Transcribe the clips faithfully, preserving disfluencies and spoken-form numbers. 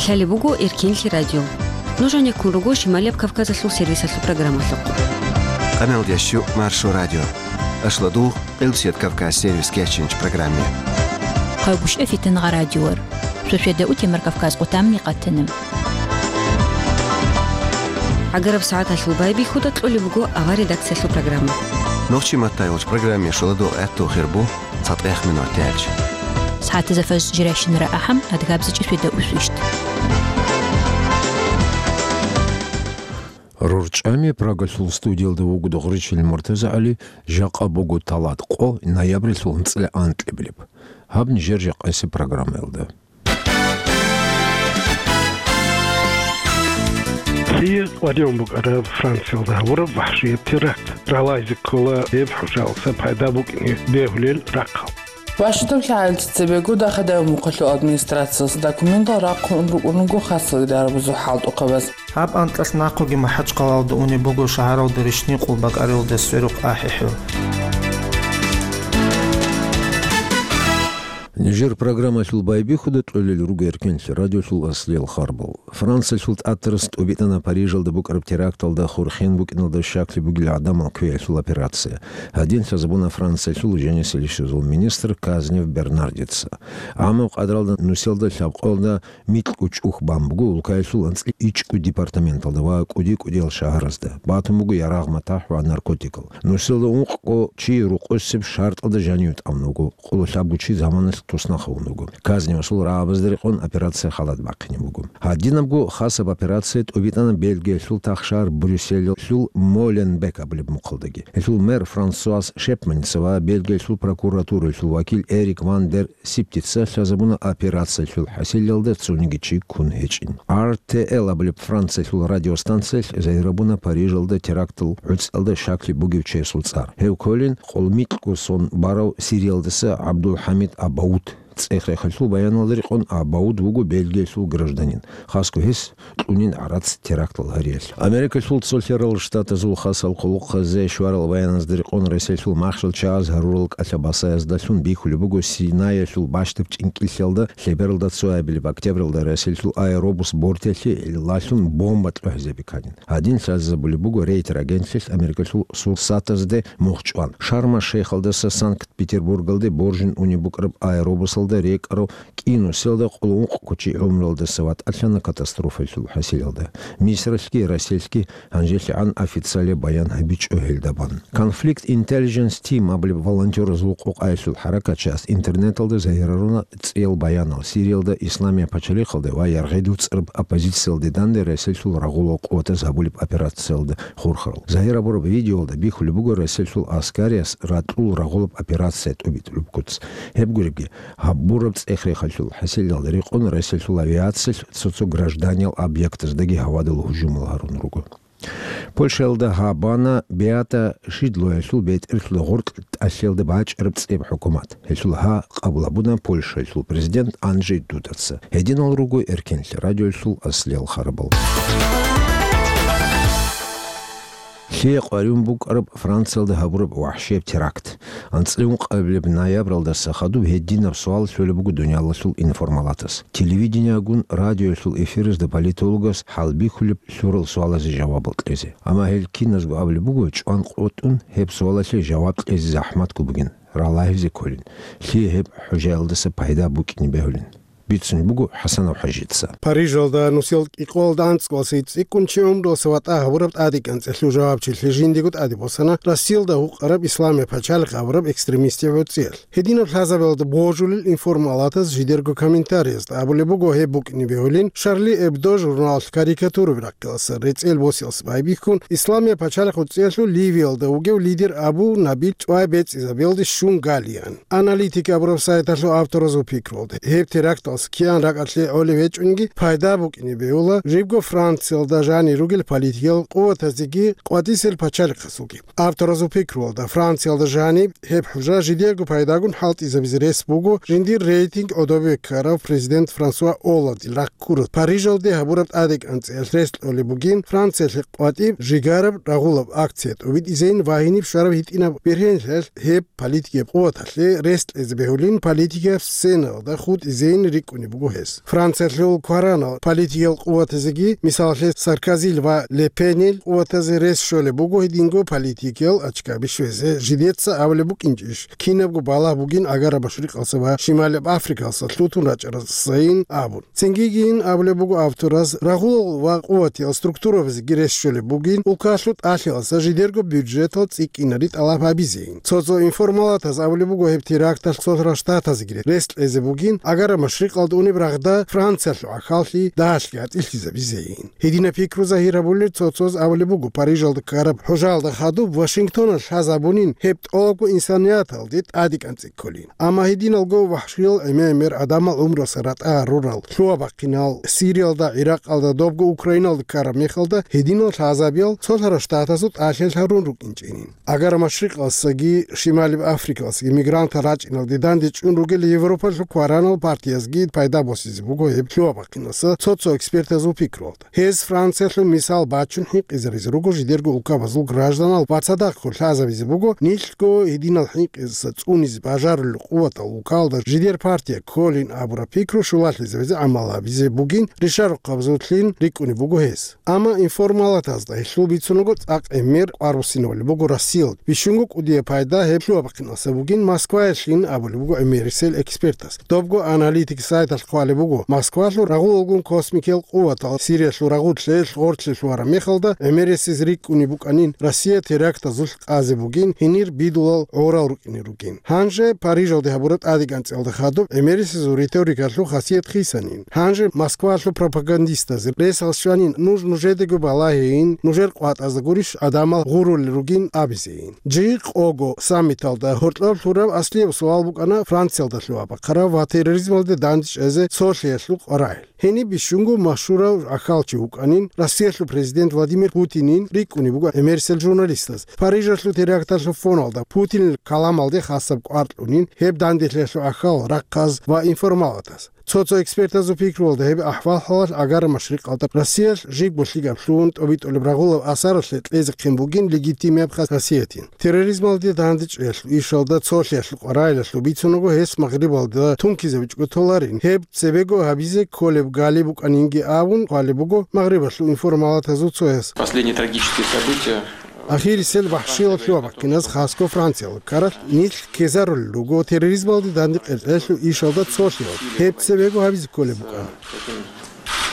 Лъалеб буго Эркенлъи радио. Нуж гьанеккун руго Шималияб Кавказалъул сервисалъул программалъухъ. Къамел дящу Маршо радио. Ашла дугъ Къилсият Кавказ сервис кечинч программе. Къайгушев Фитнагъа радиор. Шошеда утемар Кавказ къутамни къатанам. Агараб сагӀаталъул байбихьуда кьолеб буго авар редакциялъул программа. Нохчи маттай вач программе шоладо гӀатту хирбу. ЦатӀех минут тяч. СагӀатазда фаж жирайщинара ахӀам, адгабзичӀи шведа усвищ. РорчӀами Прагалъул студиялда вугода Гъуричил МуртазагӀали, жакъа буго талат къо, ноябрилъул анцӀила анкьабилеб. Гьаб нижер жакъасеб программаялда. Лъие къваригӀун букӀараб Франциялда гьабураб вахӀшияб теракт? Ралайзе ккола гьеб хӀужалъа пайда букӀине бегьулел рахъал. Вашингтон лъагӀел цебего Дахадаев мухъалъул администрациялъ документал рахъун рукӀун руго хасалида гьарабазул хӀалтӀухъабаз. Гьаб анкьалъ нахъеги МахӀачхъалаялда унеб буго шагьаралда рищни къулбакӀаралда сверухъ ахӀи-хӀу. Нижер программалъул байбихьуда кьолел руго Эркенлъи радиолъул аслиял харбал. Франциялъул тӀатарас тӀубитӀана Парижалда букӀараб теракталда хурхен букӀиналда щаклъи бугел гӀадамал кквеялъул операция. Гьадин лъазабуна Франциялъул жанисел ишазул министр Казнев Бернардица. Амма къадралда нусиялда лъабкъоялда микьго чӀухӀ бан буго улкаялъул анцӀила ичӀго департаменталда ва кӀуди-кӀудиял шагьаразда. Батун буго ярагъ-матахӀ ва наркотикал. Нусиялда ункъго чи рокъосеб шартӀалда жанив тӀамун вуго. Къоло лъабго чи заманалъ туснахъ гьавун вуго. Казневасул рагӀабазда рекъон операция халат бахъине буго. Гьадинабго хасаб операция тӀубитӀана Бельгиялъул тахшагьар Брюсселалъул Моленбек абулеб мухъалдаги. Гьелъул мэр Франсуаз Шепманица ва Бельгиялъул прокуратуралъул вакил Эрик ван дер Сиптица лъазабуна операциялъул хӀасилалда цониги чи ккун гьечӀин. Ар Т Л абулеб Франциялъул радиостанциялъ загьирабуна Парижалда терактал гӀуцӀалда щаклъи бугев чиясул цӀар. Гьев кколин къолмикьго сон барав Сириялдаса ГӀабдулхӀамид Абауд. ЦӀех-рехалъул баяналда рекъон Абауд вуго Бельгиялъул гражданин. Хасго гьес кьунин гӀарац терактал гьариялъ. Америкалъул цолъарал Штатазул хасал хъулухъазе щварал баяназда рекъон ресалъул махщел чагӀаз гьарурал кӀалъа-басаязда лъун бихьулеб буго Синаялъул бащдаб чӀинкӀиллъиялда лъебералда цоябилеб октябралда ресалъул аэробус бортиялъе гӀиллалъун бомба кьухӀизе биканин. Гьадин лъазабулеб буго Рейтер агентлъилъ Америкалъул сурсатазде мухь чӀван. Шарма-Шейхалдаса Санкт-Петербургалде боржин унеб букӀараб аэробусалда рекӀарав кӀиго нусиялда къоло ункъго чи гӀумруялдаса ватӀалъана катастрофаялъул хӀасилалда. Мисралъги Россиялъги гьанжелъигӀан официалияб баян гьабичӀо гьелда бан. Conflict Intelligence Team абулеб волонтеразул къокъаялъул хӀаракатчияс интернеталда загьираруна цӀиял баянал Сириялда Исламияб пачалихъалда ва яргъи дуцӀараб оппозициялде данде ресалъул рагъулал къуватаз гьабулеб операциялда хурхарал. Загьир гьабураб видеоялда бихьулеб буго ресалъул аскариялъ ракьул рагъулаб операция тӀубитӀулеб куц. Гьеб гуребги, гьабураб цӀех-рехалъул хӀасилалда рекъон ресалъул авиациялъ цо-цо гражданиял объектаздаги гьавадал гьужумал гьарун руго. Польшаялда гьабана Беата Шидлоялъул бетӀерлъуда гъоркь тӀалъиялда бачӀараб цӀеб хӀукумат. Гьелъул гьа къабул гьабуна Польшаялъул президент Анджей Дудаца. Гьединал руго Эркенлъи радиоялъул аслиял харабал. Лъие къваригӀун букӀараб Франциялда гьабураб вахӀшияб теракт? АнцӀила ункъабилеб ноябралдаса хадуб гьединаб суал лъолеб буго дуниялалъул информалатас. Телевидениягун радиоялъул эфиразда политологас хӀалбихьулеб лъурал суалазе жавабал кьезе. Амма гьел киназго абулеб буго, чӀван къотӀун гьеб суалалъе жаваб кьезе захӀматго бугин, ралагьизе кколин, лъие гьеб хӀужаялдаса пайда букӀине бегьулин. Бицун буго ХӀасанов ХӀажица. Парижалда нусил кӀикъоялда анцӀго цӀикӀкӀун чи гӀумруялъа ватӀа гьабураб тӀадегӀанцӀалъул жавабчилъи жиндиего тӀаде босана Россиялда гьукъараб Исламияб пачалихъ абураб экстремистиясул цӀиялъ. Гьединаб лъазабиялда божулел информалатас жидерго комментариязда абулеб буго гьеб букӀине бегьулин Шарли Эбдо журналалъ карикатураби рахъиялдаса рецӀел босиялдаса байбихьун, Исламияб пачалихъ цӀиялъул Ливиялда вугев лидер Абу Набил чӀвай бецӀизабиялде щун галиан. Аналитик абураб сайталъул авторазул пикруялда, гьеб теракталъ кигӀан ракӀалде гӀолеб гьечӀониги, пайда букӀине бегьула жибго Франциялда жанир ругел политикиял къуватазеги къватӀисел пачалихъазулги. Авторазул пикруялда, Франциялда жаниб гьеб хӀужа жидерго пайдагун хӀалтӀизабизе рес буго жиндир рейтинг гӀодобе ккарав президент Франсуа Олландил рахъ ккураб Парижалде гьабураб тӀадегӀанцӀиялъ рес кьолеб бугин Франциялъе къватӀиб жигараб рагъулаб акция тӀубитӀизейин ва гьениб щвараб гьитӀинаб бергьенлъиялъ гьеб политикияб къуваталъе рес кьезе бегьулин политикияб сценаялда хутӀизейин ккунеб буго гьес. Франциялъул кваранал политикиял къуватазеги, мисалалъе, Саркозил ва Ле Пенил къуватазе рес щолеб буго гьединго политикиял ачкаби щвезе, жидеца абулеб букӀинчӀищ, кинабго балагь бугин Агара Машрикъалса ва Шималаб Африкалса лъутун рачӀарасайин абун. Цингигин абулеб буго авторас, рагъулал ва къуватиял структурабазеги рес щолеб бугин, улкалъул тӀалъилалса жидерго бюджетал цӀикӀкӀинари тӀалаб гьабизейин. Цо-цо информалатаз абулеб буго, гьеб теракталъ Цолъарал Штатазеги рес кьезе бугин, Агара Машрикъалда унеб рагъда Франциялъул гӀахьаллъи дагьалъги гьатӀилъизабизейин. Гьединаб пикру загьир гьабулел цо-цоз абулеб буго, Парижалда ккараб хӀужаялда хадуб Вашингтоналъ лъазабунин гьеб тӀолабго инсанияталде тӀаде кӀанцӀи кколин. Амма гьединалго вахӀшиял гӀемер-гӀемер гӀадамал гӀумруялъа ратӀа гьарурал, лъугьа-бахъинал, Сириялда, Иракъалда, добго Украиналда ккараб мехалда, гьединал лъазабиял Цолъарал Штатазул тӀалъилъ гьарун рукӀинчӀинин. Агара Машрикъалсаги Шималиб Африкалсаги мигрантал рачӀиналде данде чӀун ругел Европалъул кваранал партиязги пайда босизе буго гьеб лъугьа-бахъиналъа цо-цо экспертазул пикруялда. Гьез Франциялъул мисал бачун хӀинкъизаризе руго жидерго улкабазул гражданал ва цадахъго лъазабизе буго нилъго гьединал хӀинкъизаса цӀунизе бажарулел къуватал улкалда жидер партия кколин абураб пикру щулалъизабизе гӀамал гьабизе бугин ришарухъабазулъин рикӀкӀунеб буго гьес. Амма информалатазда гьелъул бицунаго цӀакъ гӀемер къварусинавулеб буго Россиялда. Бищунго кӀудияб пайда гьеб лъугьа-бахъиналъа бугин Москваялъин абулеб буго гӀемерисел экспертас. Добго аналитик сайталъ хъвалеб буго, Москвалъул рагъулалгун космикиял къуватал Сириялъул рагъулъе гъоркье лъугьараб мехалда гӀемерисез рикӀкӀунеб букӀанин Россия терактазулъ къазе бугин гьенир бидулал гӀорал рукӀине ругин. Гьанже Парижалде гьабураб тӀадегӀанцӀиялда хадуб гӀемерисезул риторикалъул хасият хисанин. Гьанже Москвалъул пропагандистазе ресал щванин нуж нужедаго балагьейин, нужер къватӀазда гурищ гӀадамал гъурулел ругин абизейин. Жи къого саммиталда гьоркьоб лъураб аслияб суал букӀана Франциялда лъугьа-бахъараб ва терроризмалде дандчӀвазе цолъиялъул къварагӀи. Гьениб бищунго машгьурав гӀахьалчи вукӀанин, Россиялъул президент Владимир Путинин рикӀкӀунеб буго гӀемерисел журналистаз. Парижалъул теракталъул фоналда Путинил каламалде хасаб кӀвар кьунин гьеб данделъиялъул гӀахьал, рахъаз ва информалатаз. Цо-цо экспертазул пикруялда гьеб ахӀвал-хӀалалъ Агара Машрикъалда Россиялъ жибго лъикӀаблъун тӀобитӀулеб рагъулаб асаралъе кьезехъин бугин легитимияб хасиятин. Терроризмалде дандчӀваялъул ишалда цолъиялъул къварагӀилалъул бицунаго гьес Магърибалда тункизабичӀого толарин. Гьеб цебего гьабизе кколеб гали букӀанинги абун хъвалеб буго Магърибалъул информалатазул цояс. Последние трагические события. Ахирисел вахӀшиял лъугьа-бахъиназ хасго Франциялда ккаралъ нилъ ккезарулел руго терроризмалде данде къеркьелъул ишалда цолъиялъ. Гьеб цебего гьабизе кколеб букӀана. Таким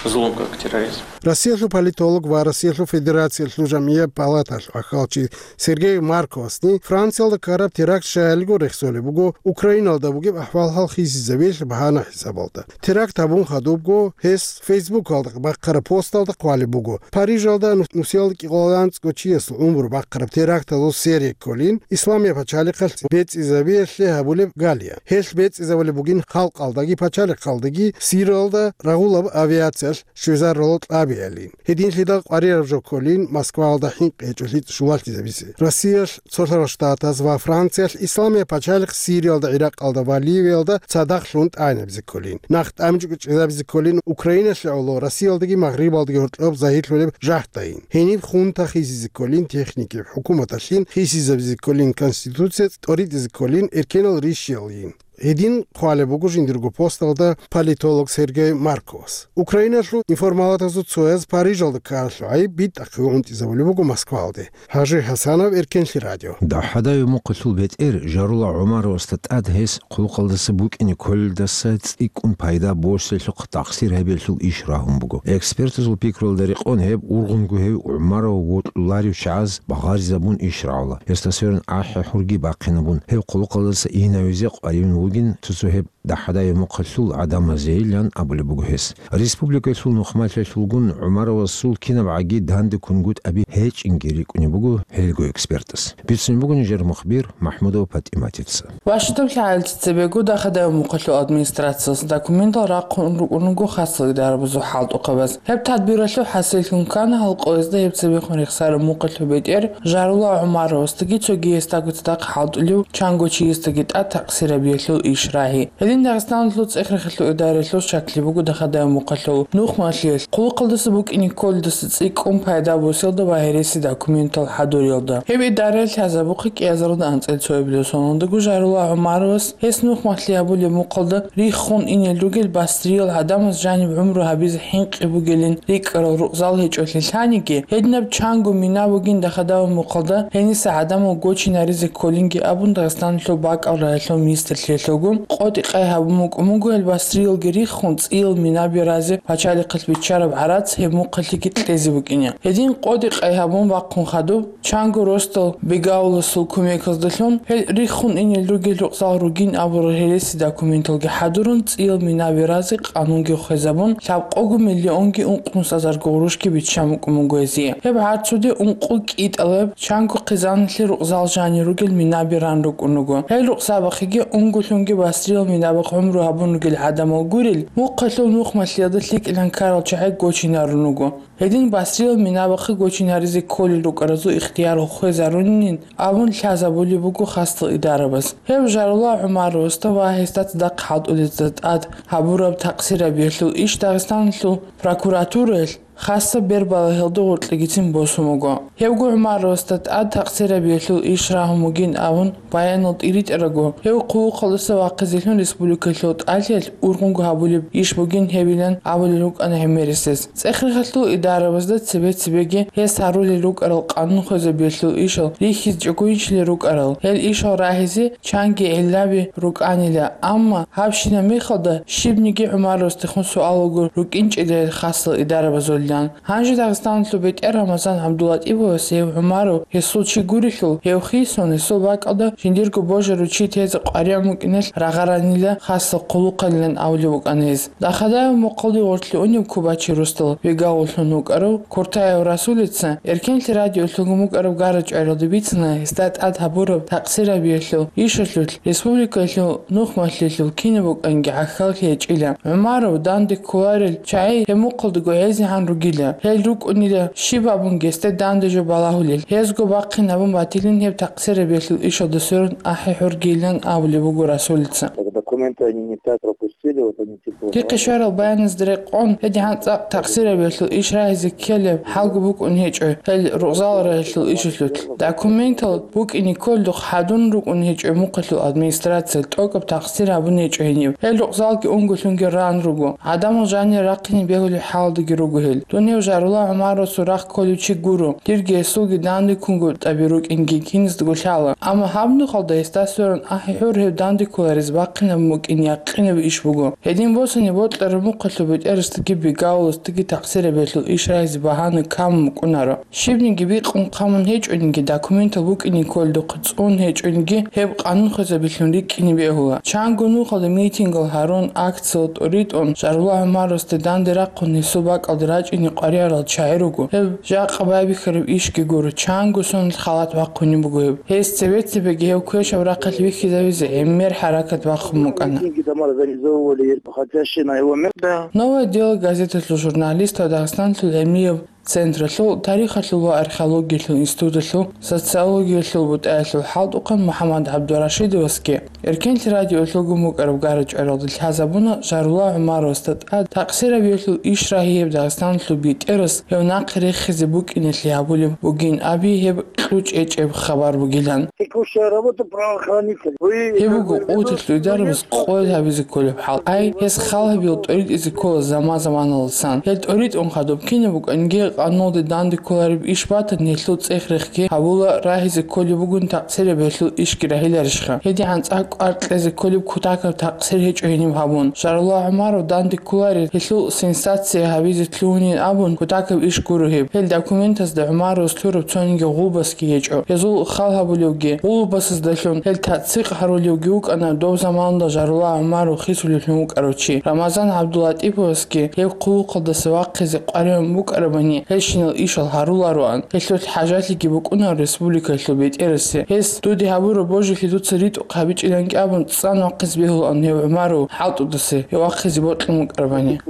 злом, как терроризм. Россиялъул политолог ва Россиялъул Федерациялъул жамгӀияб палаталъул гӀахьалчи Сергей Марковасни Франциялда ккараб теракт щаялиго рехсолеб буго Украиналда бугеб ахӀвал-хӀал хисизабиялъе багьана хӀисабалда. Теракт гьабун хадубго гьес Фейсбукалда бахъараб посталда хъвалеб буго, Парижалда нус-, нусиялда кӀикъоялда анцӀго чиясул гӀумру бахъараб терактазул серия кколин, Исламияб пачалихъалъ бецӀизабиялъе гьабулеб галия. Гьелъ бецӀизабулеб бугин халкъалдаги пачалихъалдаги Сириялда рагъулаб авиациялъ щвезарулал кьабиялин. Гьединлъидал къварираб жо кколин Москваялда хӀинкъи гьечӀолъи щулалъизабизе. Россиялъ, Цолъарал Штатаз ва Франциялъ Исламияб пачалихъ Сириялда, Иракъалда ва Ливиялда цадахълъун тӀагӀинабизе кколин. Нахъ тӀамчӀукӀ чӀезабизе кколин Украиналъе гӀоло Россиялдаги Магърибалдаги гьоркьоб загьирлъулеб жагьтайин. Гьениб хунта хисизе кколин техникияв хӀукуматалъин, хисизабизе кколин конституция, тӀоритӀизе кколин эркенал ришиялъин. Гьедин хъвалеб буго жиндирго посталда политолог Сергей Марковас. Украиналъул информалатазул цояз Парижалда ккаралъул гӀайиб битӀахъе гӀунтӀизабулеб буго Москвалде. Гьажи ХӀасанов, Эркенлъи радио. ДагӀадаяб мухъалъул бетӀер Жарула ГӀумаровасда тӀад гьес хъулухъалдаса букӀине кколелдаса цӀикӀкӀун пайда босиялъухъ тахсир гьабиялъул иш рагьун буго. Экспертазул пикруялда рекъон гьеб ургъунго гьев ГӀумаров вокьуларев чагӀаз багъаризабун иш рагӀула. Гьесда сверун ахӀи-хӀурги бахъинабун, гьев хъулухъалдаса инавизе къваригӀун вугин цо-цо гьеб дагӀадаяб мухъалъул гӀадамазейилан абулеб буго гьес. Республикалъул нухмалъиялъулгун ГӀумаровасул кинабгӀаги данде кунгутӀаби гьечӀинги рикӀкӀунеб буго гьелго экспертас. Бицунеб буго нижер мухбир МахӀмудова ПатӀиматица. Вашингтон лъагӀел цебего дагӀадаяб мухъалъул администрациялъ документал рахъун рукӀунаго хасалида гьарабазул хӀалтӀухъабаз. Гьеб тадбиралъул хӀасиллъун ккана гьалкъоязда гьеб цебехун рехсараб мухъалъул бетӀер Жарула ГӀумаровасдаги цоги гьесдаго цадахъ хӀалтӀулев чанго чиясдаги тӀад такъсир гьабиялъул иш рагьи. Дагъистаналъул цӀех-рехалъул идараялъул щаклъи буго Дахадаев мухъалъул нухмалъиялъ, хъулухъалдаса букӀине кколдаса цӀикӀкӀун пайда босиялда ва гьереси документал хӀадуриялда. Гьеб идараялъ лъазабухъе кӀиазаралда анцӀила цоябилеб соналдаго Жарула ГӀумаровас гьес нухмалъи гьабулеб мухъалда риххун инел ругел басриял гӀадамаз жаниб гӀумру гьабизе хӀинкъи бугилин рикӀкӀарал рукъзал гьечӀолъи лъаниги, гьединаб чанго мина бугин Дахадаев мухъалда гьениса гӀадамал гочинаризе кколинги абун Дагъистаналъул бакӀал рагӀилъул министрлъиялъулгун къотӀи-къай гьабун букӀун буго гьел басриялги риххун цӀиял минаби разе пачалихъалъ биччараб гӀарац гьеб мухъалъиги кьезе букӀине. Гьедин къотӀи-къай гьабун бахъун хадуб, чанго росдал бегауласул кумеказдалъун гьел риххун инел ругел рукъзал ругин абурал гьереси документалги хӀадурун, цӀиял минаби разе къанунги хвезабун, лъабкъого миллионги ункънусазарго гъурущги биччан букӀун буго гьезие. Гьеб гӀарцуде ункъо кӀитӀалаб чанго хъизаналъе рукъзал жанир ругел минаби ран рукӀун руго. Гьел рукъзабахъеги унголъунги басриял минабахъ гӀумру гьабун ругел гӀадамал гурел, мухъалъул нухмалъиялда лъикӀилан ккарал чагӀи гочинарун руго. Гьедин басриял минабахъе гочинаризе кколел рукӀаразул ихтияр хвезарунин абун лъазабулеб буго хасдал идарабаз. Гьев Жарула ГӀумаровасда ва гьесда цадахъ хӀалтӀулезда тӀад гьабураб такъсирабиялъул иш Дагъистаналъул прокуратураялъ хасаб бербалагьалда гъоркьегицин босун буго. Гьевго ГӀумаровасда тӀад такъсирабиялъул иш рагьун бугин абун баянал тӀиритӀарабго, гьев хъулухъалдаса вахъизелъун республикалъул тӀалъиялъ ургъунго гьабулеб иш бугин гьебилан абулел рукӀана гӀемерисез. ЦӀех-рехалъул идарабазда цебе-цебеги гьес гьарулел рукӀарал къанун хвезабиялъул ишал рихьизе чӀугуйинчилел рукӀарал, гьел ишал рагьизе чанги гӀиллаби рукӀанила, амма гьабщинаб мехалда щибниги ГӀумаровасдехун суалалго рукӀинчӀила гьел хасал идарабазулилан. Гьанже Дагъистаналъул бетӀер Рамазан ГӀабдулатӀиповас гьев ГӀумаров гьесул чи гурелъул, гьев хисун, гьесул бакӀалда жиндирго божарав чи тезе къваригӀун букӀиналъ рагъаранила хасал хъулухъалилан абулеб букӀана гьез. Дахадаев мухъалде гъорлъе унеб кубачи росдал бегауллъун вукӀарав Куртаев Расулица Эркенлъи радиолъулгун букӀараб гарачӀваралда бицана гьесда тӀад гьабураб такъсирабиялъул ишалъулъ республикалъул нухмалъиялъул кинаб букӀанги гӀахьаллъи гьечӀила. ГӀумаров данде кколарел чагӀи гьеб мухъалдаго гӀезегӀан ругила. Гьел рукӀунила щиб абунги гьесде данде жо балагьулел. Гьезго бахъин гьабун батилин гьеб такъсирабиялъул ишалда сверун ахӀи-хӀургийилан абулеб буго Расулица. Так документы они не так пропустили, вот они типа... Дихъе щварал баяназда рекъон, гьедигӀан цӀакъ такъсирабиялъул иш рагьизе ккелеб хӀалго букӀун гьечӀо гьел рукъзал рагьилъул ишалъулъ. Документал букӀине кколдухъ хӀадурун рукӀун гьечӀо мухъалъул администрациялъ, тӀокӀаб такъсир гьабун гьечӀо гьениб. Гьел рукъзалги унголъунги ран руго. ГӀадамал жанир рахъине бегьулеб хӀалалдаги руго гьел. Дун гьев Жарула ГӀумаровасул рахъ кколев чи гуро. Дирги гьесулги данде ккунго тӀаби рукӀинги киназдаго лъала. Амма гьаб нухалда гьесда сверун ахӀи-хӀур гьев данде кколарез бахъинаб букӀин якъинаб иш буго. Гьедин босани бокьараб мухъалъул бетӀерасдаги бегауласдаги такъсирабиялъул иш рагьизе багьана камун букӀунаро. Щибниги бикъун хъамун гьечӀониги, документал букӀине кколдухъ цӀун гьечӀониги, гьеб къанун хвезабилъун рикӀкӀине бегьула. Чанго нухалда митингал гьарун, акциял тӀоритӀун, Жарула ГӀумаровасде данде рахъун гьесул бакӀалде рачӀине къваригӀарал чагӀи руго. Гьеб жакъа байбихьараб ишги гуро, чанго сонал халат бахъунеб буго гьеб. Гьес цебе-цебеги гьев квешаб рахъалъ вихьизавизе гӀемер хӀаракат бахъун букӀана. Митинги там организовывали, хотя на его место. Да. «Новое дело» газеталъул журналист ва Дагъистаналъул гӀемераб централъул тарихалъул ва археологиялъул институталъул социологиялъул бутӀаялъул хӀалтӀухъан МухӀаммад ГӀабдурашидовасги Эркенлъи радиолъулгун букӀараб гарачӀваралда лъазабуна Жарула ГӀумаровасда тӀад такъсирабиялъул иш рагьияб Дагъистаналъул бетӀерас гьев нахъе рехизе букӀиналъе гьабулеб бугин аби гьеб кьучӀ гьечӀеб хабар бугилан. Текущая работа правоохранителей. Вы... Гьеб буго къуваталъул идарабаз къоялъ гьабизе кколеб хӀал. Ай, гьес хал гьабил тӀоритӀизе ккола заман-заманалдасан. Гьел тӀоритӀун хадуб кинаб букӀанги къануналде данде кколареб иш батани, гьелъул цӀех-рехги гьабула рагьизе кколеб бугин такъсирабиялъул ишги рагьиларищха? ГьедигӀан цӀакъ кӀвар кьезе кколеб кутакаб такъсир гьечӀо гьениб гьабун. Жарула ГӀумаров данде кколарел гьелъул сенсация гьабизе лъугьунин абун кутакаб иш гуро гьеб. Гьел документазда ГӀумаровас лъураб цониги гъулбасги гьечӀо. Гьезул хал гьабулевги, гъулбасаздалъун гьел тацдикъ гьарулевги вукӀана дов заманалда Жарула ГӀумаров хисулевлъун вукӀарав чи. Рамазан ГӀабдулатӀиповасги гьеб хъулухъалдаса вахъизе къваригӀун букӀарабани, гьелщинал ишал гьарулароан. Гьелъулъ хӀажалъиги букӀунаро республикалъул бетӀерасе. Гьес: «Дуде гьабураб божилъи дуца ритӀухъ гьабичӀилан», — абун, цӀан вахъизе бегьулаан гьев ГӀумаров хӀалтӀудаса, гьев вахъизе бокьун вукӀарабани.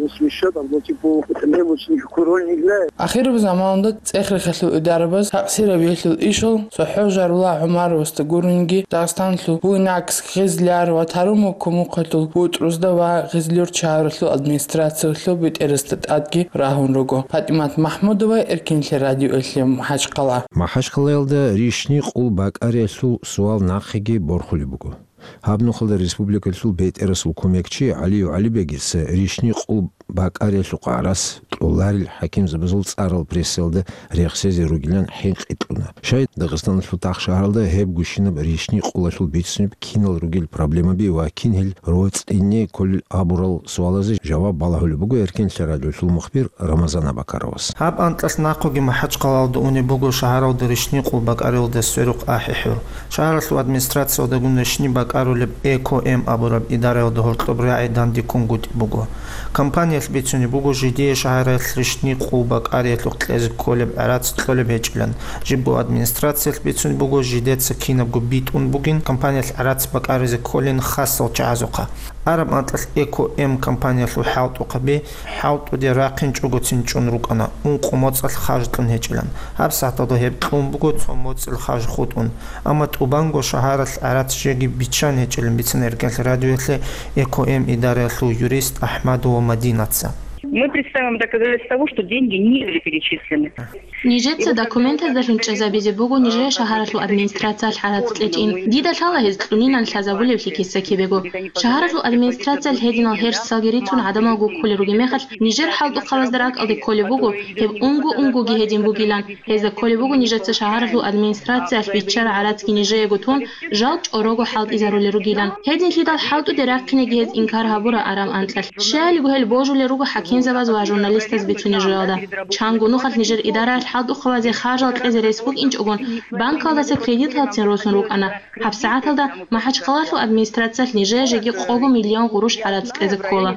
Смещать, там, ну, типа, требуется курольник для. Ахираб заманалда цӀех-рехалъул идарабаз такъсиравиялъул ишал цохӀо Жарула ГӀумаровасда гуринги, Дагъистанлъул Буйнакск, Гъизлияр ва Таруму кумухъалъул БутӀрузда ва Гъизлиюрт шагьаралъул администрациялъул бетӀерасда тӀадги рагьун руго. ПатӀимат МахӀмудова, Эркинлъи радиоялъе МахӀачхъала. МахӀачхъалаялда рищни къул бакӀариялъул суал нахъеги борхулеб буго. Гьаб нухалда республикалъул бетӀерасул кумекчи ГӀалиев ГӀалибегица рищни къул бакӀариялъухъ гӀарац кьоларел хӀакимзабазул цӀарал прессаялда рехсезе ругилан хӀинкъи кьуна. Щай Дагъистаналъул тахшагьаралда гьеб гущинаб рищни къулалъул бицунеб кинал ругел проблемаби ва кин гьел роцӀцӀине кколел абурал суалазе жаваб балагьулеб буго Эркинлъи радиолъул мухбир Рамазан Абакаровас. Гьаб анкьалъ нахъеги МахӀачхъалаялда унеб буго шагьаралда рищни къул бакӀариялда сверухъ ахӀи-хӀур. Шагьаралъул администрациялдагун рищни бакӀарулеб Эко-М абураб идараялда гьоркьоб рагӀи дандеккунгутӀи буго. Компаниялъ бицунеб буго жидее шагьаралъ рищни къул бакӀариялъухъ кьезе кколеб гӀарац кьолеб гьечӀилан. Жибго администрациялъ бицунеб буго жидеца кинабго битӀун бугин, компаниялъ гӀарац бакӀаризе кколин хасал чагӀазухъа. Араб анкьалъ Эко-М компаниялъул хӀалтӀухъаби хӀалтӀуде рахъинчӀогоцин чӀун рукӀана, ункъо моцӀалъ хажлъун гьечӀилан. ГьабсагӀаталда гьеб кьун буго цо моцӀил хаж хутӀун. Амма тӀубанго шагьаралъ гӀарац жеги биччан гьечӀилан бицана Эркинлъи радиоялъе Эко-М идараялъул юрист АхӀмадова Мадинаца. Мы представим доказательства того, что деньги не были перечислены. Нижеца документаздалъун чӀезабизе буго нижее шагьаралъул администрациялъ гӀарац кьечӀин. Дида лъала гьез кьунилан лъазабулевлъи киса-кибего. Шагьаралъул администрациялъ гьединал гьерсалги рицун гӀадамал гуккулел ругеб мехалъ, нижер хӀалтӀухъабазда ракӀалде кколеб буго, гьеб унго-унгоги гьедин бугилан. Гьезда кколеб буго нижеца шагьаралъул администрациялъ биччараб гӀарацги нижеего тун, жал чӀорого хӀалтӀизарулел ругилан. Гьединлъидал хӀалтӀуде рахъинеги гьез инкар гьабура араб анкьалъ. Щайилго гьел божулел руго хӀакимзабаз ва журналистаз бицунеб жоялда. Чанго нухалъ нижер идараялъ хӀалтӀухъабазе харжал кьезе рес букӀинчӀогон, банкалдаса кредиталцин росун рукӀана. ГьабсагӀаталда МахӀачхъалалъул администрациялъ нижее жеги къого миллион гъурущ гӀарац кьезе ккола.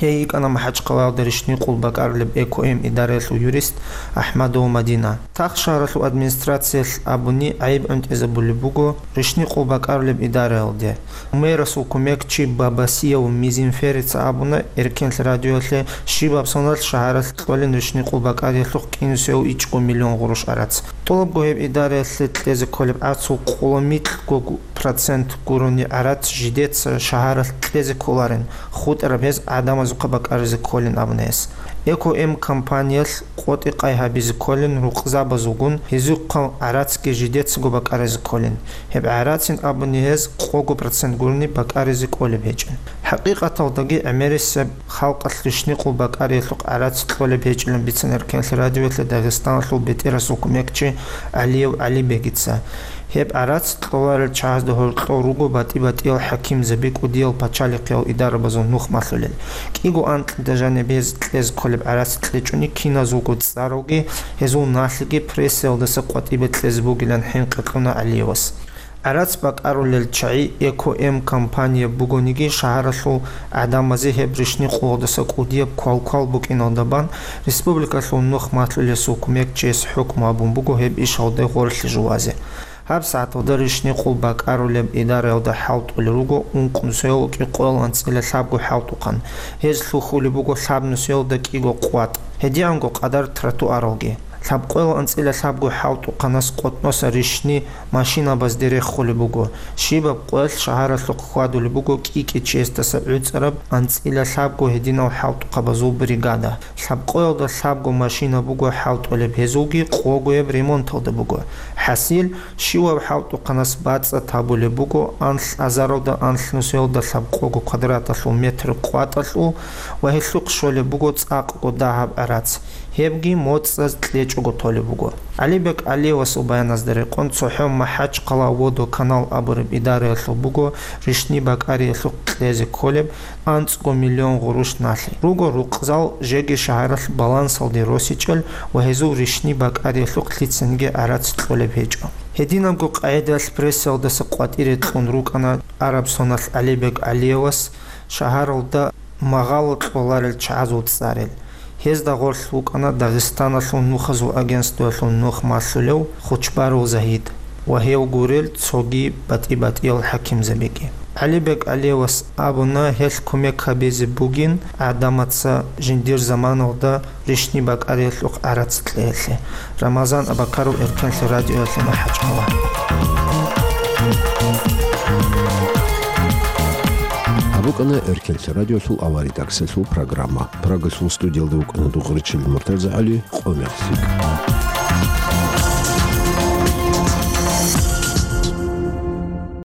Гьей йикӀана МахӀачхъалаялда рищни къул бакӀарулеб Эко-М идараялъул юрист АхӀмадова Мадина. Тахшагьаралъул администрациялъ абуни гӀайиб гӀунтӀизабулеб буго рищни къул бакӀарулеб идараялде. Мэрасул кумекчи Бабасияв Мизинферица абуна Эркинлъи радиоялъе, щибаб соналъ шагьаралъ кьолин рищни къул бакӀариялъухъ кӀинусев ичӀго миллион гъурущ гӀарац. ТӀолабго гьеб идараялъе кьезе кколеб гӀарцул къоло микьго процент гурони гӀарац жидеца шагьаралъ кьезе кколарин, хутӀараб гьез гӀадамазухъа бакӀаризе кколин абуна гьес. Эко-М компаниялъ къотӀи-къай гьабизе кколин рукъзабазулгун, гьезухъа гӀарацги жидецаго бакӀаризе кколин. Гьеб гӀарацин абуни гьез къого процент гурони бакӀаризе кколеб гьечӀин. ХӀакъикъаталдаги гӀемерисеб халкъалъ рищни къул бакӀариялъухъ гӀарац кьолеб гьечӀилан бицана Эркинлъи радиоялъе Дагъистаналъул бетӀерасул кумекчи ГӀалиев ГӀалибегица. Гьеб гӀарац кьоларел чагӀазда гьоркьов руго батӀи-батӀиял хӀакимзаби, кӀудиял пачалихъиял идарабазул нух малъулел. КӀиго анкьида жаниб гьез кьезе кколеб гӀарац кьечӀони киназулго цӀаралги, гьезул налъиги прессаялдаса къватӀибе кьезе бугилан хӀинкъи кьуна ГӀалиевас. ГӀарац бакӀарулел чагӀи Эко-М компания бугониги, шагьаралъул гӀадамазе гьеб рищни къулалдаса кӀудияб квалквал букӀиналда бан республикалъул нух малъулесул кумекчияс хӀукму гьабун буго гьеб ишалде гъорлъи жувазе. ГьабсагӀаталда рищни къул бакӀарулеб идараялда хӀалтӀулел руго ункънусиялда кӀикъоялда анцӀила лъабго хӀалтӀухъан. Гьез лъухьулеб буго лъабнусиялда кӀиго къватӀ, гьедигӀанго къадар тротуаралги. Лъабкъоялда анцӀила лъабго хӀалтӀухъанас къотӀноса рищни машинабазде реххулеб буго. Щибаб къоялъ шагьаралъухъ хьвадулеб буго кӀи-кӀи чиясдаса гӀуцӀараб анцӀила лъабго гьединал хӀалтӀухъабазул бригада. Лъабкъоялда лъабго машина буго хӀалтӀулеб, гьезулги къогояб ремонталда буго. ХӀасил, щивав хӀалтӀухъанас бацӀцӀад гьабулеб буго анлъ азаралда анлънусиялда лъабкъого квадраталъул метр къватӀалъул ва гьелъухъ щолеб буго цӀакъго дагьаб гӀарац. Гьебги моцӀаз кьечӀого толеб буго. ГӀалибек ГӀалиевасул баяназда рекъон, цохӀо МахӀачхъала водоканал абураб идараялъул буго рищни бакӀариялъухъ кьезе кколеб анцӀго миллион гъурущ налъи. Руго рукъзал жеги шагьаралъ балансалде росичӀел ва гьезул рищни бакӀариялъухъ лъицаниги гӀарац кьолеб гьечӀо. Гьединабго къагӀидаялъ прессаялдаса къватӀире кьун рукӀана араб соналъ ГӀалибек ГӀалиевас шагьаралда магъало кьоларел чагӀазул цӀарал. Гьезда гъорлъ вукӀана Дагъистаналъул нухазул агентствоялъул нух малъулев Хучбарул Загьид ва гьев гурел цоги батӀи-батӀиял хӀакимзабиги. ГӀалибек ГӀалиевас абуна, гьелъ кумек гьабизе бугин гӀадамаца жиндир заманалда рищни бакӀариялъухъ гӀарац кьеялъе. Рамазан Абакаров, Эркенлъи радиоялъе, МахӀачхъала. Гьаб букӀана Эркенлъи радиолъул аваридаксалъул программа. Прагалъул студиялда вукӀана Дугъричил МуртазагӀали. Къо мехалъ.